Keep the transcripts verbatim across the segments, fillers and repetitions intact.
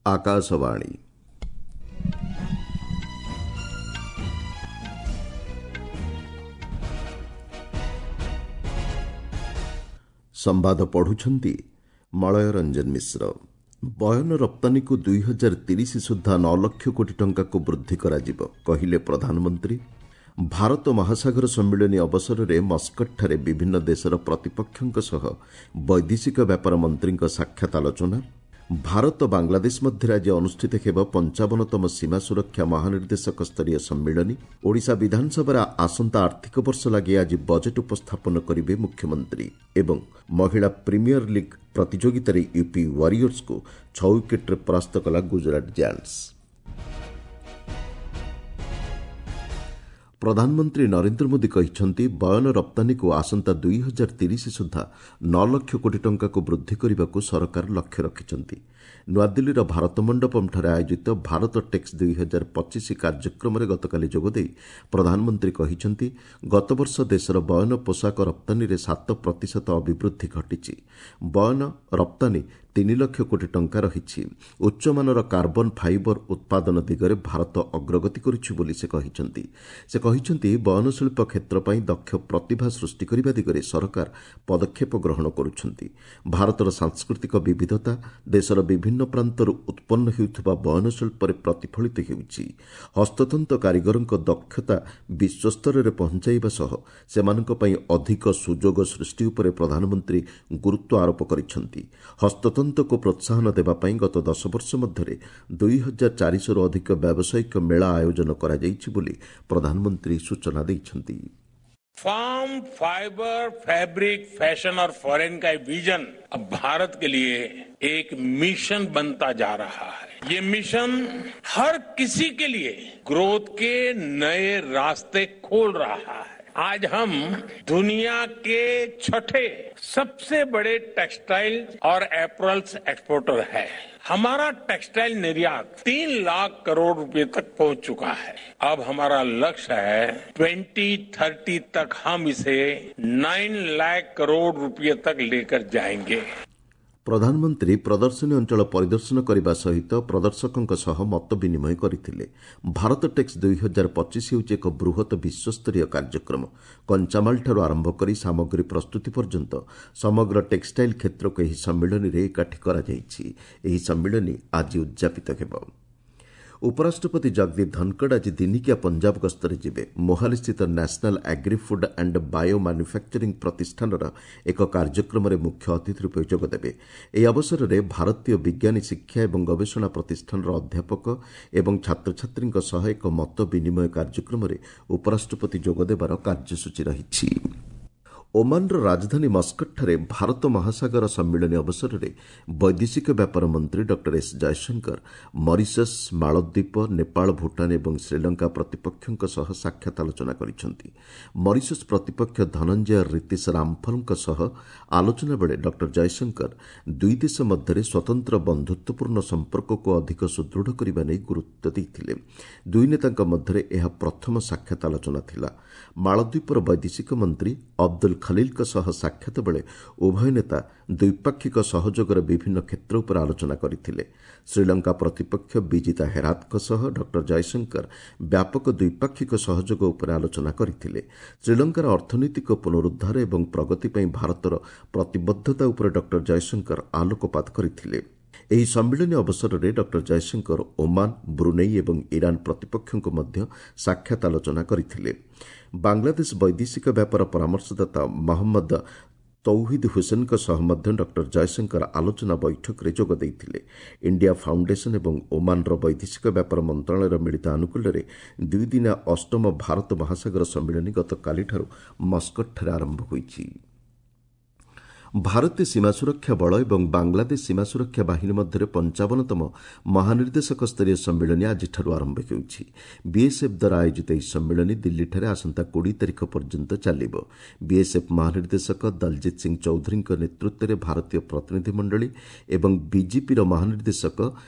ଆକାଶବାଣୀ। ସମ୍ବାଦ ପଢୁଛନ୍ତି ମଳୟ ରଞ୍ଜନ ମିଶ୍ର। ବୟନ ରପ୍ତାନୀକୁ ଦୁଇ ହଜାର ତିରିଶ ସୁଦ୍ଧା ନଅ ଲକ୍ଷ କୋଟି ଟଙ୍କାକୁ ବୃଦ୍ଧି କରାଯିବ, କହିଲେ ପ୍ରଧାନମନ୍ତ୍ରୀ। ଭାରତ ମହାସାଗର ସମ୍ମିଳନୀ ଅବସରରେ ମସ୍କଟଠାରେ ବିଭିନ୍ନ ଦେଶର ପ୍ରତିପକ୍ଷଙ୍କ ସହ ବୈଦେଶିକ ବ୍ୟାପାର ମନ୍ତ୍ରୀଙ୍କ ସାକ୍ଷାତ ଆଲୋଚନା। ଭାରତ ବାଂଲାଦେଶ ମଧ୍ୟରେ ଆଜି ଅନୁଷ୍ଠିତ ହେବ ପଞ୍ଚାବନତମ ସୀମା ସୁରକ୍ଷା ମହାନିର୍ଦ୍ଦେଶକ ସ୍ତରୀୟ ସମ୍ମିଳନୀ। ଓଡ଼ିଶା ବିଧାନସଭାରେ ଆସନ୍ତା ଆର୍ଥିକ ବର୍ଷ ଲାଗି ଆଜି ବଜେଟ୍ ଉପସ୍ଥାପନ କରିବେ ମୁଖ୍ୟମନ୍ତ୍ରୀ। ଏବଂ ମହିଳା ପ୍ରିମିୟର ଲିଗ୍ ପ୍ରତିଯୋଗିତାରେ ୟୁପି ୱାରିୟର୍ସକୁ ଛଅ ୱିକେଟ୍ରେ ପରାସ୍ତ କଲା ଗୁଜରାଟ ଜାଏଣ୍ଟସ୍। ପ୍ରଧାନମନ୍ତ୍ରୀ ନରେନ୍ଦ୍ର ମୋଦି କହିଛନ୍ତି, ବୟନ ରପ୍ତାନୀକୁ ଆସନ୍ତା ଦୁଇ ହଜାର ତିରିଶ ସୁଦ୍ଧା ନଅ ଲକ୍ଷ କୋଟି ଟଙ୍କାକୁ ବୃଦ୍ଧି କରିବାକୁ ସରକାର ଲକ୍ଷ୍ୟ ରଖିଛନ୍ତି। ନୂଆଦିଲ୍ଲୀର ଭାରତ ମଣ୍ଡପମ୍ଠାରେ ଆୟୋଜିତ ଭାରତ ଟେକ୍ସ ଦୁଇ ହଜାର ପଚିଶ କାର୍ଯ୍ୟକ୍ରମରେ ଗତକାଲି ଯୋଗଦେଇ ପ୍ରଧାନମନ୍ତ୍ରୀ କହିଛନ୍ତି, ଗତବର୍ଷ ଦେଶର ବୟନ ପୋଷାକ ରପ୍ତାନୀରେ ସାତ ପ୍ରତିଶତ ଅଭିବୃଦ୍ଧି ଘଟିଛି। ବୟନ ରପ୍ତାନୀ ତିନି ଲକ୍ଷ କୋଟି ଟଙ୍କା ରହିଛି। ଉଚ୍ଚମାନର କାର୍ବନ ଫାଇବର ଉତ୍ପାଦନ ଦିଗରେ ଭାରତ ଅଗ୍ରଗତି କରୁଛି ବୋଲି ସେ କହିଛନ୍ତି। ସେ କହିଛନ୍ତି, ବୟନଶିଳ୍ପ କ୍ଷେତ୍ର ପାଇଁ ଦକ୍ଷ ପ୍ରତିଭା ସୃଷ୍ଟି କରିବା ଦିଗରେ ସରକାର ପଦକ୍ଷେପ ଗ୍ରହଣ କରୁଛନ୍ତି। ଭାରତର ସାଂସ୍କୃତିକ ବିବିଧତା ଦେଶର ବିଭିନ୍ନ ପ୍ରାନ୍ତରୁ ଉତ୍ପନ୍ନ ହେଉଥିବା ବୟନଶିଳ୍ପରେ ପ୍ରତିଫଳିତ ହେଉଛି। ହସ୍ତତନ୍ତ କାରିଗରଙ୍କ ଦକ୍ଷତା ବିଶ୍ୱସ୍ତରରେ ପହଞ୍ଚାଇବା ସହ ସେମାନଙ୍କ ପାଇଁ ଅଧିକ ସୁଯୋଗ ସୃଷ୍ଟି ଉପରେ ପ୍ରଧାନମନ୍ତ୍ରୀ ଗୁରୁତ୍ୱ ଆରୋପ କରିଛନ୍ତି। ହସ୍ତତନ୍ତକୁ ପ୍ରୋତ୍ସାହନ ଦେବା ପାଇଁ ଗତ ଦଶ ବର୍ଷ ମଧ୍ୟରେ ଦୁଇ ହଜାର ଚାରିଶହରୁ ଅଧିକ ବ୍ୟବସାୟିକ ମେଳା ଆୟୋଜନ କରାଯାଇଛି ବୋଲି ପ୍ରଧାନମନ୍ତ୍ରୀ ସୂଚନା ଦେଇଛନ୍ତି। फार्म, फाइबर, फैब्रिक, फैशन और फॉरेन का विजन अब भारत के लिए एक मिशन बनता जा रहा है। ये मिशन हर किसी के लिए ग्रोथ के नए रास्ते खोल रहा है। आज हम दुनिया के छठे सबसे बड़े टेक्सटाइल और एपरल्स एक्सपोर्टर है। हमारा टेक्सटाइल निर्यात तीन लाख करोड़ रुपए तक पहुंच चुका है। अब हमारा लक्ष्य है ट्वेंटी थर्टी तक हम इसे नाइन लाख करोड़ रुपए तक लेकर जाएंगे। ପ୍ରଧାନମନ୍ତ୍ରୀ ପ୍ରଦର୍ଶନୀ ଅଞ୍ଚଳ ପରିଦର୍ଶନ କରିବା ସହିତ ପ୍ରଦର୍ଶକଙ୍କ ସହ ମତ ବିନିମୟ କରିଥିଲେ। ଭାରତ ଟେକ୍ସ ଦୁଇ ହଜାର ପଚିଶ ହେଉଛି ଏକ ବୃହତ ବିଶ୍ୱସ୍ତରୀୟ କାର୍ଯ୍ୟକ୍ରମ। କଞ୍ଚାମାଲଠାରୁ ଆରମ୍ଭ କରି ସାମଗ୍ରୀ ପ୍ରସ୍ତୁତି ପର୍ଯ୍ୟନ୍ତ ସମଗ୍ର ଟେକ୍ସଟାଇଲ କ୍ଷେତ୍ରକୁ ଏହି ସମ୍ମିଳନୀରେ ଏକାଠି କରାଯାଇଛି। ଏହି ସମ୍ମିଳନୀ ଆଜି ଉଦ୍ଯାପିତ ହେବ। ଉପରାଷ୍ଟ୍ରପତି ଜଗଦୀପ ଧନଖଡ଼ ଆଜି ଦିନିକିଆ ପଞ୍ଜାବ ଗସ୍ତରେ ଯିବେ। ମୋହାଲିସ୍ଥିତ national agri food and bio manufacturing ପ୍ରତିଷ୍ଠାନର ଏକ କାର୍ଯ୍ୟକ୍ରମରେ ମୁଖ୍ୟ ଅତିଥି ରୂପେ ଯୋଗଦେବେ। ଏହି ଅବସରରେ ଭାରତୀୟ ବିଜ୍ଞାନୀ ଶିକ୍ଷା ଏବଂ ଗବେଷଣା ପ୍ରତିଷ୍ଠାନର ଅଧ୍ୟାପକ ଏବଂ ଛାତ୍ରଛାତ୍ରୀଙ୍କ ସହ ଏକ ମତ ବିନିମୟ କାର୍ଯ୍ୟକ୍ରମରେ ଉପରାଷ୍ଟ୍ରପତି ଯୋଗଦେବାର କାର୍ଯ୍ୟସୂଚୀ ରହିଛି। ଓମାନର ରାଜଧାନୀ ମସ୍କଟଠାରେ ଭାରତ ମହାସାଗର ସମ୍ମିଳନୀ ଅବସରରେ ବୈଦେଶିକ ବ୍ୟାପାର ମନ୍ତ୍ରୀ ଡକ୍ଟର ଏସ୍ ଜୟଶଙ୍କର ମରିସସ୍, ମାଳଦ୍ୱୀପ, ନେପାଳ, ଭୁଟାନ ଏବଂ ଶ୍ରୀଲଙ୍କା ପ୍ରତିପକ୍ଷଙ୍କ ସହ ସାକ୍ଷାତ ଆଲୋଚନା କରିଛନ୍ତି। ମରିସସ୍ ପ୍ରତିପକ୍ଷ ଧନଞ୍ଜୟ ରିତିଶ ରାମଫଲଙ୍କ ସହ ଆଲୋଚନା ବେଳେ ଡକ୍ଟର ଜୟଶଙ୍କର ଦୁଇ ଦେଶ ମଧ୍ୟରେ ସ୍ୱତନ୍ତ୍ର ବନ୍ଧୁତ୍ୱପୂର୍ଣ୍ଣ ସମ୍ପର୍କକୁ ଅଧିକ ସୁଦୃଢ଼ କରିବା ନେଇ ଗୁରୁତ୍ୱ ଦେଇଥିଲେ। ଦୁଇ ନେତାଙ୍କ ମଧ୍ୟରେ ଏହା ପ୍ରଥମ ସାକ୍ଷାତ ଆଲୋଚନା ଥିଲା। ମାଳଦ୍ୱୀପର ବୈଦେଶିକ ମନ୍ତ୍ରୀ ଅବଦୁଲ ଖଲିଲଙ୍କ ସହ ସାକ୍ଷାତ ବେଳେ ଉଭୟ ନେତା ଦ୍ୱିପାକ୍ଷିକ ସହଯୋଗର ବିଭିନ୍ନ କ୍ଷେତ୍ର ଉପରେ ଆଲୋଚନା କରିଥିଲେ। ଶ୍ରୀଲଙ୍କା ପ୍ରତିପକ୍ଷ ବିଜିତା ହେରାତଙ୍କ ସହ ଡକ୍ଟର ଜୟଶଙ୍କର ବ୍ୟାପକ ଦ୍ୱିପାକ୍ଷିକ ସହଯୋଗ ଉପରେ ଆଲୋଚନା କରିଥିଲେ। ଶ୍ରୀଲଙ୍କାର ଅର୍ଥନୈତିକ ପୁନରୁଦ୍ଧାର ଏବଂ ପ୍ରଗତି ପାଇଁ ଭାରତର ପ୍ରତିବଦ୍ଧତା ଉପରେ ଡକ୍ଟର ଜୟଶଙ୍କର ଆଲୋକପାତ କରିଥିଲେ। ଏହି ସମ୍ମିଳନୀ ଅବସରରେ ଡକ୍ଟର ଜୟଶଙ୍କର ଓମାନ, ବ୍ରୁନେଇ ଏବଂ ଇରାନ ପ୍ରତିପକ୍ଷଙ୍କୁ ମଧ୍ୟ ସାକ୍ଷାତ ଆଲୋଚନା କରିଥିଲେ। ବାଂଲାଦେଶ ବୈଦେଶିକ ବ୍ୟାପାର ପରାମର୍ଶଦାତା ମହମ୍ମଦ ତୌହିଦ ହୁସେନଙ୍କ ସହ ମଧ୍ୟ ଡକ୍ଟର ଜୟଶଙ୍କର ଆଲୋଚନା ବୈଠକରେ ଯୋଗ ଦେଇଥିଲେ। ଇଣ୍ଡିଆ ଫାଉଣ୍ଡେସନ ଏବଂ ଓମାନର ବୈଦେଶିକ ବ୍ୟାପାର ମନ୍ତ୍ରଣାଳୟର ମିଳିତ ଆନୁକୂଲ୍ୟରେ ଦୁଇଦିନିଆ ଅଷ୍ଟମ ଭାରତ ମହାସାଗର ସମ୍ମିଳନୀ ଗତକାଲିଠାରୁ ମସ୍କଟଠାରେ ଆରମ୍ଭ ହୋଇଛି। ଭାରତୀୟ ସୀମା ସୁରକ୍ଷା ବଳ ଏବଂ ବାଂଲାଦେଶ ସୀମା ସୁରକ୍ଷା ବାହିନୀ ମଧ୍ୟରେ ପଞ୍ଚାବନତମ ମହାନିର୍ଦ୍ଦେଶକ ସ୍ତରୀୟ ସମ୍ମିଳନୀ ଆଜିଠାରୁ ଆରମ୍ଭ ହେଉଛି। ବିଏସ୍ଏଫ୍ ଦ୍ୱାରା ଆୟୋଜିତ ଏହି ସମ୍ମିଳନୀ ଦିଲ୍ଲୀଠାରେ ଆସନ୍ତା କୋଡ଼ିଏ ତାରିଖ ପର୍ଯ୍ୟନ୍ତ ଚାଲିବ। ବିଏସ୍ଏଫ୍ ମହାନିର୍ଦ୍ଦେଶକ ଦଲଜିତ ସିଂ ଚୌଧୁରୀଙ୍କ ନେତୃତ୍ୱରେ ଭାରତୀୟ ପ୍ରତିନିଧିମଣ୍ଡଳୀ ଏବଂ ବିଜିପିର ମହାନିର୍ଦ୍ଦେଶକ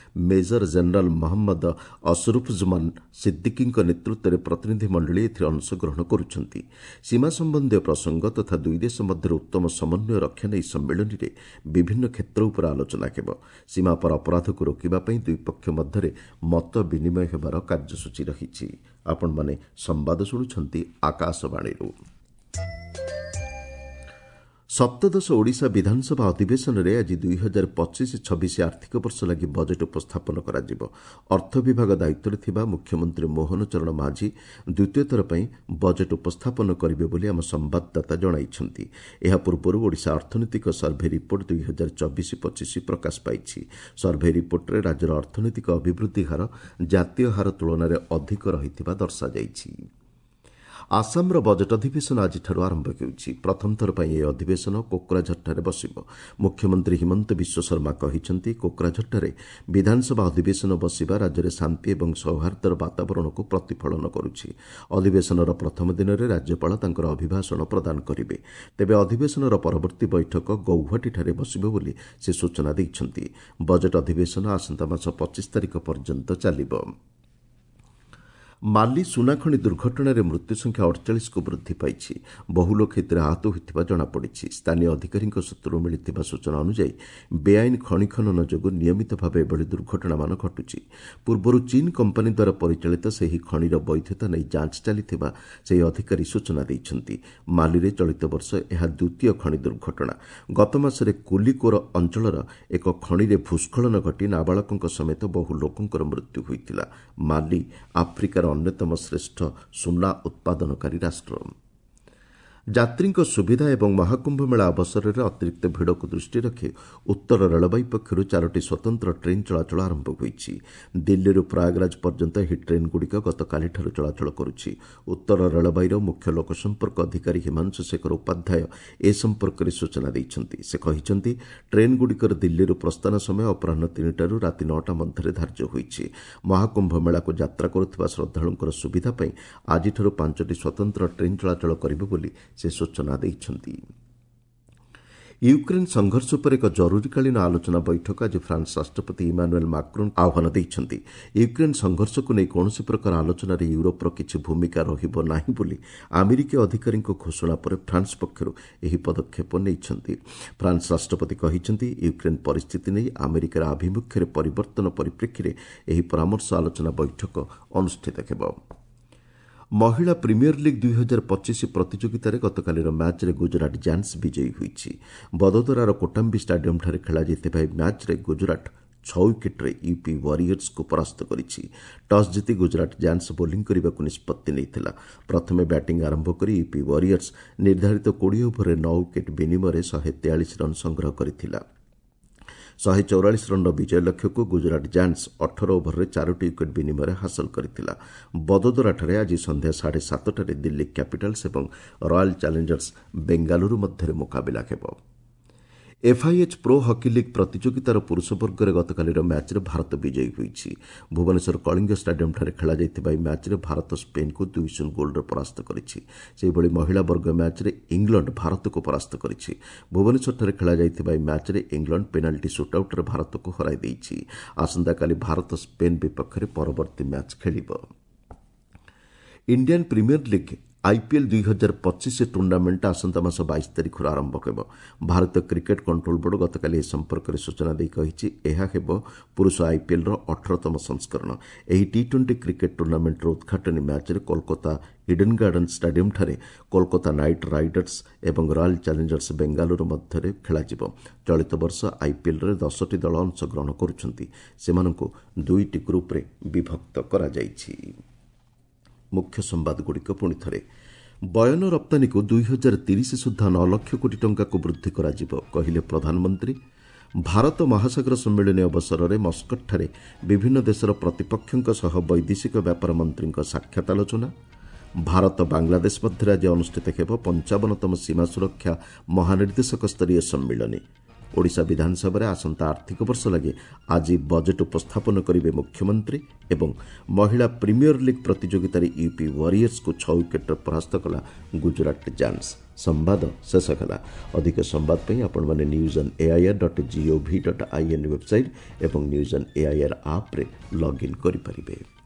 ମେଜର ଜେନେରାଲ ମହମ୍ମଦ ଅସରୁଫୁଜ୍ମାନ ସିଦ୍ଦିକିଙ୍କ ନେତୃତ୍ୱରେ ପ୍ରତିନିଧିମଣ୍ଡଳୀ ଏଥିରେ ଅଂଶଗ୍ରହଣ କରୁଛନ୍ତି। ସୀମା ସମ୍ବନ୍ଧୀୟ ପ୍ରସଙ୍ଗ ତଥା ଦୁଇ ଦେଶ ମଧ୍ୟରେ ଉତ୍ତମ ସମନ୍ୱୟ ରକ୍ଷା ନେଇ ଏହି ସମ୍ମିଳନୀରେ ବିଭିନ୍ନ କ୍ଷେତ୍ର ଉପରେ ଆଲୋଚନା ହେବ। ସୀମାପାର ଅପରାଧକୁ ରୋକିବା ପାଇଁ ଦୁଇ ପକ୍ଷ ମଧ୍ୟରେ ମତ ବିନିମୟ ହେବାର କାର୍ଯ୍ୟସୂଚୀ ରହିଛି। ଆପଣମାନେ ସମ୍ବାଦ ଶୁଣୁଛନ୍ତି ଆକାଶବାଣୀରୁ। ସପ୍ତଦଶ ଓଡ଼ିଶା ବିଧାନସଭା ଅଧିବେଶନରେ ଆଜି ଦୁଇ ହଜାର ପଚିଶ ଛବିଶ ଆର୍ଥିକ ବର୍ଷ ଲାଗି ବଜେଟ୍ ଉପସ୍ଥାପନ କରାଯିବ। ଅର୍ଥ ବିଭାଗ ଦାୟିତ୍ୱରେ ଥିବା ମୁଖ୍ୟମନ୍ତ୍ରୀ ମୋହନ ଚରଣ ମାଝୀ ଦ୍ୱିତୀୟ ଥର ପାଇଁ ବଜେଟ୍ ଉପସ୍ଥାପନ କରିବେ ବୋଲି ଆମ ସମ୍ବାଦଦାତା ଜଣାଇଛନ୍ତି। ଏହା ପୂର୍ବରୁ ଓଡ଼ିଶା ଅର୍ଥନୈତିକ ସର୍ଭେ ରିପୋର୍ଟ ଦୁଇ ହଜାର ଚବିଶ ପଚିଶ ପ୍ରକାଶ ପାଇଛି। ସର୍ଭେ ରିପୋର୍ଟରେ ରାଜ୍ୟର ଅର୍ଥନୈତିକ ଅଭିବୃଦ୍ଧି ହାର ଜାତୀୟ ହାର ତୁଳନାରେ ଅଧିକ ରହିଥିବା ଦର୍ଶାଯାଇଛି। ଆସାମର ବଜେଟ୍ ଅଧିବେଶନ ଆଜିଠାରୁ ଆରମ୍ଭ ହେଉଛି। ପ୍ରଥମ ଥର ପାଇଁ ଏହି ଅଧିବେଶନ କୋକ୍ରାଝରଠାରେ ବସିବ। ମୁଖ୍ୟମନ୍ତ୍ରୀ ହିମନ୍ତ ବିଶ୍ୱ ଶର୍ମା କହିଛନ୍ତି, କୋକ୍ରାଝରଠାରେ ବିଧାନସଭା ଅଧିବେଶନ ବସିବା ରାଜ୍ୟରେ ଶାନ୍ତି ଏବଂ ସୌହାର୍ଦ୍ଦ୍ୟର ବାତାବରଣକୁ ପ୍ରତିଫଳନ କରୁଛି। ଅଧିବେଶନର ପ୍ରଥମ ଦିନରେ ରାଜ୍ୟପାଳ ତାଙ୍କର ଅଭିଭାଷଣ ପ୍ରଦାନ କରିବେ। ତେବେ ଅଧିବେଶନର ପରବର୍ତ୍ତୀ ବୈଠକ ଗୌହାଟୀଠାରେ ବସିବ ବୋଲି ସେ ସୂଚନା ଦେଇଛନ୍ତି। ବଜେଟ୍ ଅଧିବେଶନ ଆସନ୍ତା ମାସ ପଚିଶ ତାରିଖ ପର୍ଯ୍ୟନ୍ତ ଚାଲିବ। ମାଲି ସୁନାଖଣି ଦୁର୍ଘଟଣାରେ ମୃତ୍ୟୁ ସଂଖ୍ୟା ଅଡ଼ଚାଳିଶକୁ ବୃଦ୍ଧି ପାଇଛି। ବହୁ ଲୋକ ଏଥିରେ ଆହତ ହୋଇଥିବା ଜଣାପଡ଼ିଛି। ସ୍ଥାନୀୟ ଅଧିକାରୀଙ୍କ ସୂତ୍ରରୁ ମିଳିଥିବା ସୂଚନା ଅନୁଯାୟୀ ବେଆଇନ ଖଣି ଖନନ ଯୋଗୁଁ ନିୟମିତ ଭାବେ ଏଭଳି ଦୁର୍ଘଟଣାମାନ ଘଟୁଛି। ପୂର୍ବରୁ ଚୀନ୍ କମ୍ପାନୀ ଦ୍ୱାରା ପରିଚାଳିତ ସେହି ଖଣିର ବୈଧତା ନେଇ ଯାଞ୍ଚ ଚାଲିଥିବା ସେହି ଅଧିକାରୀ ସୂଚନା ଦେଇଛନ୍ତି। ମାଲିରେ ଚଳିତ ବର୍ଷ ଏହା ଦ୍ୱିତୀୟ ଖଣି ଦୁର୍ଘଟଣା। ଗତ ମାସରେ କୁଲିକୋର ଅଞ୍ଚଳର ଏକ ଖଣିରେ ଭୂସ୍ଖଳନ ଘଟି ନାବାଳକଙ୍କ ସମେତ ବହୁ ଲୋକଙ୍କର ମୃତ୍ୟୁ ହୋଇଥିଲା। ମାଲି ଆଫ୍ରିକାର ଅନ୍ୟତମ ଶ୍ରେଷ୍ଠ ସୁନା ଉତ୍ପାଦନକାରୀ ରାଷ୍ଟ୍ର। ଯାତ୍ରୀଙ୍କ ସୁବିଧା ଏବଂ ମହାକୁମ୍ଭ ମେଳା ଅବସରରେ ଅତିରିକ୍ତ ଭିଡ଼କୁ ଦୃଷ୍ଟିରେ ରଖି ଉତ୍ତର ରେଳବାଇ ପକ୍ଷରୁ ଚାରୋଟି ସ୍ୱତନ୍ତ୍ର ଟ୍ରେନ୍ ଚଳାଚଳ ଆରମ୍ଭ ହୋଇଛି। ଦିଲ୍ଲୀରୁ ପ୍ରୟାଗରାଜ ପର୍ଯ୍ୟନ୍ତ ଏହି ଟ୍ରେନ୍ଗୁଡ଼ିକ ଗତକାଲିଠାରୁ ଚଳାଚଳ କରୁଛି। ଉତ୍ତର ରେଳବାଇର ମୁଖ୍ୟ ଲୋକସମ୍ପର୍କ ଅଧିକାରୀ ହିମାଂଶୁ ଶେଖର ଉପାଧ୍ୟାୟ ଏ ସମ୍ପର୍କରେ ସୂଚନା ଦେଇଛନ୍ତି। ସେ କହିଛନ୍ତି, ଟ୍ରେନ୍ଗୁଡ଼ିକର ଦିଲ୍ଲୀରୁ ପ୍ରସ୍ଥାନ ସମୟ ଅପରାହ୍ନ ତିନିଟାରୁ ରାତି ନଅଟା ମଧ୍ୟରେ ଧାର୍ଯ୍ୟ ହୋଇଛି। ମହାକୁମ୍ଭ ମେଳାକୁ ଯାତ୍ରା କରୁଥିବା ଶ୍ରଦ୍ଧାଳୁଙ୍କର ସୁବିଧା ପାଇଁ ଆଜିଠାରୁ ପାଞ୍ଚଟି ସ୍ୱତନ୍ତ୍ର ଟ୍ରେନ୍ ଚଳାଚଳ କରିବ ବୋଲି ସେ ସୂଚନା ଦେଇଛନ୍ତି। ୟୁକ୍ରେନ୍ ସଂଘର୍ଷ ଉପରେ ଏକ ଜରୁରୀକାଳୀନ ଆଲୋଚନା ବୈଠକ ଆଜି ଫ୍ରାନ୍ସ ରାଷ୍ଟ୍ରପତି ଇମାନୁଏଲ୍ ମାକ୍ରୋନ୍ ଆହ୍ୱାନ ଦେଇଛନ୍ତି। ୟୁକ୍ରେନ୍ ସଂଘର୍ଷକୁ ନେଇ କୌଣସି ପ୍ରକାର ଆଲୋଚନାରେ ୟୁରୋପର କିଛି ଭୂମିକା ରହିବ ନାହିଁ ବୋଲି ଆମେରିକୀୟ ଅଧିକାରୀଙ୍କ ଘୋଷଣା ପରେ ଫ୍ରାନ୍ସ ପକ୍ଷରୁ ଏହି ପଦକ୍ଷେପ ନେଇଛନ୍ତି। ଫ୍ରାନ୍ସ ରାଷ୍ଟ୍ରପତି କହିଛନ୍ତି, ୟୁକ୍ରେନ୍ ପରିସ୍ଥିତି ନେଇ ଆମେରିକାର ଆଭିମୁଖ୍ୟରେ ପରିବର୍ତ୍ତନ ପରିପ୍ରେକ୍ଷୀରେ ଏହି ପରାମର୍ଶ ଆଲୋଚନା ବୈଠକ ଅନୁଷ୍ଠିତ ହେବ। ମହିଳା ପ୍ରିମିୟର ଲିଗ୍ ଦୁଇ ହଜାର ପଚିଶ ପ୍ରତିଯୋଗିତାରେ ଗତକାଲିର ମ୍ୟାଚ୍ରେ ଗୁଜରାଟ ଜାୟାଣ୍ଟସ୍ ବିଜୟୀ ହୋଇଛି। ବଦୋଦରାର କୋଟାମ୍ବି ଷ୍ଟାଡିୟମ୍ଠାରେ ଖେଳାଯାଇଥିବା ଏହି ମ୍ୟାଚ୍ରେ ଗୁଜରାଟ ଛଅ ୱିକେଟ୍ରେ ୟୁପି ୱାରିୟର୍ସକୁ ପରାସ୍ତ କରିଛି। ଟସ୍ ଜିତି ଗୁଜରାଟ ଜାୟାଣ୍ଟସ୍ ବୋଲିଂ କରିବାକୁ ନିଷ୍ପତ୍ତି ନେଇଥିଲା। ପ୍ରଥମେ ବ୍ୟାଟିଂ ଆରମ୍ଭ କରି ୟୁପି ୱାରିୟର୍ସ ନିର୍ଦ୍ଧାରିତ କୋଡ଼ିଏ ଓଭରରେ ନଅ ୱିକେଟ୍ ବିନିମୟରେ ଶହେ ତେୟାଳିଶ ରନ୍ ସଂଗ୍ରହ କରିଥିଲା। ଶହେ ଚଉରାଳିଶ ରନ୍ର ବିଜୟ ଲକ୍ଷ୍ୟକୁ ଗୁଜରାଟ ଜାୟାଣ୍ଟସ୍ ଅଠର ଓଭରରେ ଚାରୋଟି ୱିକେଟ୍ ବିନିମୟରେ ହାସଲ କରିଥିଲା। ବଦୋଦରାଠାରେ ଆଜି ସନ୍ଧ୍ୟା ସାଢ଼େ ସାତଟାରେ ଦିଲ୍ଲୀ କ୍ୟାପିଟାଲ୍ସ ଏବଂ ରୟାଲ୍ ଚ୍ୟାଲେଞ୍ଜର୍ସ ବେଙ୍ଗାଲୁରୁ ମଧ୍ୟରେ ମୁକାବିଲା ହେବ। ଏଫ୍ଆଇଏଚ୍ ପ୍ରୋ ହକି ଲିଗ୍ ପ୍ରତିଯୋଗିତାର ପୁରୁଷ ବର୍ଗରେ ଗତକାଲିର ମ୍ୟାଚ୍ରେ ଭାରତ ବିଜୟୀ ହୋଇଛି। ଭୁବନେଶ୍ୱର କଳିଙ୍ଗ ଷ୍ଟାଡିୟମ୍ଠାରେ ଖେଳାଯାଇଥିବା ଏହି ମ୍ୟାଚ୍ରେ ଭାରତ ସ୍ପେନ୍କୁ ଦୁଇ ଶୂନ ଗୋଲ୍ରେ ପରାସ୍ତ କରିଛି। ସେହିଭଳି ମହିଳା ବର୍ଗ ମ୍ୟାଚ୍ରେ ଇଂଲଣ୍ଡ ଭାରତକୁ ପରାସ୍ତ କରିଛି। ଭୁବନେଶ୍ୱରଠାରେ ଖେଳାଯାଇଥିବା ଏହି ମ୍ୟାଚ୍ରେ ଇଂଲଣ୍ଡ ପେନାଲ୍ଟି ସୁଟ୍ଆଉଟ୍ରେ ଭାରତକୁ ହରାଇ ଦେଇଛି। ଆସନ୍ତାକାଲି ଭାରତ ସ୍ପେନ୍ ବିପକ୍ଷରେ ପରବର୍ତ୍ତୀ ମ୍ୟାଚ୍ ଖେଳିବ। ଇଣ୍ଡିଆନ୍ ପ୍ରିମିୟର ଲିଗ୍ ଆଇପିଏଲ୍ ଦୁଇ ହଜାର ପଚିଶ ଟୁର୍ଣ୍ଣାମେଣ୍ଟ ଆସନ୍ତା ମାସ ବାଇଶ ତାରିଖରୁ ଆରମ୍ଭ ହେବ। ଭାରତୀୟ କ୍ରିକେଟ୍ କଣ୍ଟ୍ରୋଲ ବୋର୍ଡ ଗତକାଲି ଏ ସମ୍ପର୍କରେ ସୂଚନା ଦେଇ କହିଛି, ଏହା ହେବ ପୁରୁଷ ଆଇପିଏଲ୍ର ଅଠରତମ ସଂସ୍କରଣ। ଏହି ଟି ଟ୍ୱେଣ୍ଟି କ୍ରିକେଟ୍ ଟୁର୍ଣ୍ଣାମେଣ୍ଟର ଉଦ୍ଘାଟନୀ ମ୍ୟାଚ୍ରେ କୋଲକାତା ଇଡେନ୍ ଗାର୍ଡେନ୍ ଷ୍ଟାଡିୟମ୍ଠାରେ କୋଲକାତା ନାଇଟ୍ ରାଇଡର୍ସ ଏବଂ ରୟାଲ୍ ଚ୍ୟାଲେଞ୍ଜର୍ସ ବେଙ୍ଗାଲୁରୁ ମଧ୍ୟରେ ଖେଳାଯିବ। ଚଳିତ ବର୍ଷ ଆଇପିଏଲ୍ରେ ଦଶଟି ଦଳ ଅଂଶଗ୍ରହଣ କରୁଛନ୍ତି। ସେମାନଙ୍କୁ ଦୁଇଟି ଗ୍ରୁପ୍ରେ ବିଭକ୍ତ କରାଯାଇଛି। ମୁଖ୍ୟ ସମ୍ବାଦଗୁଡ଼ିକ ପୁଣି ଥରେ। ବୟନ ରପ୍ତାନୀକୁ ଦୁଇ ହଜାର ତିରିଶ ସୁଦ୍ଧା ନଅ ଲକ୍ଷ କୋଟି ଟଙ୍କାକୁ ବୃଦ୍ଧି କରାଯିବ, କହିଲେ ପ୍ରଧାନମନ୍ତ୍ରୀ। ଭାରତ ମହାସାଗର ସମ୍ମିଳନୀ ଅବସରରେ ମସ୍କଟଠାରେ ବିଭିନ୍ନ ଦେଶର ପ୍ରତିପକ୍ଷଙ୍କ ସହ ବୈଦେଶିକ ବ୍ୟାପାର ମନ୍ତ୍ରୀଙ୍କ ସାକ୍ଷାତ ଆଲୋଚନା। ଭାରତ ବାଂଲାଦେଶ ମଧ୍ୟରେ ଆଜି ଅନୁଷ୍ଠିତ ହେବ ପଞ୍ଚାବନତମ ସୀମା ସୁରକ୍ଷା ମହାନିର୍ଦ୍ଦେଶକ ସ୍ତରୀୟ ସମ୍ମିଳନୀ। ଓଡ଼ିଶା ବିଧାନସଭାରେ ଆସନ୍ତା ଆର୍ଥିକ ବର୍ଷ ଲାଗି ଆଜି ବଜେଟ୍ ଉପସ୍ଥାପନ କରିବେ ମୁଖ୍ୟମନ୍ତ୍ରୀ। ଏବଂ ମହିଳା ପ୍ରିମିୟର ଲିଗ୍ ପ୍ରତିଯୋଗିତାରେ ୟୁପି ୱାରିୟର୍ସକୁ ଛଅ ୱିକେଟ୍ରେ ପରାସ୍ତ କଲା ଗୁଜରାଟ ଜାୟାଣ୍ଟସ୍। ସମ୍ବାଦ ଶେଷ ହେଲା। ଅଧିକ ସମ୍ବାଦ ପାଇଁ ଆପଣମାନେ news on AIR dot gov dot in website ଏବଂ ନ୍ୟୁଜ୍ ଅନ୍ ଏଆଇଆର୍ ଆପ୍ରେ ଲଗ୍ଇନ୍ କରିପାରିବେ।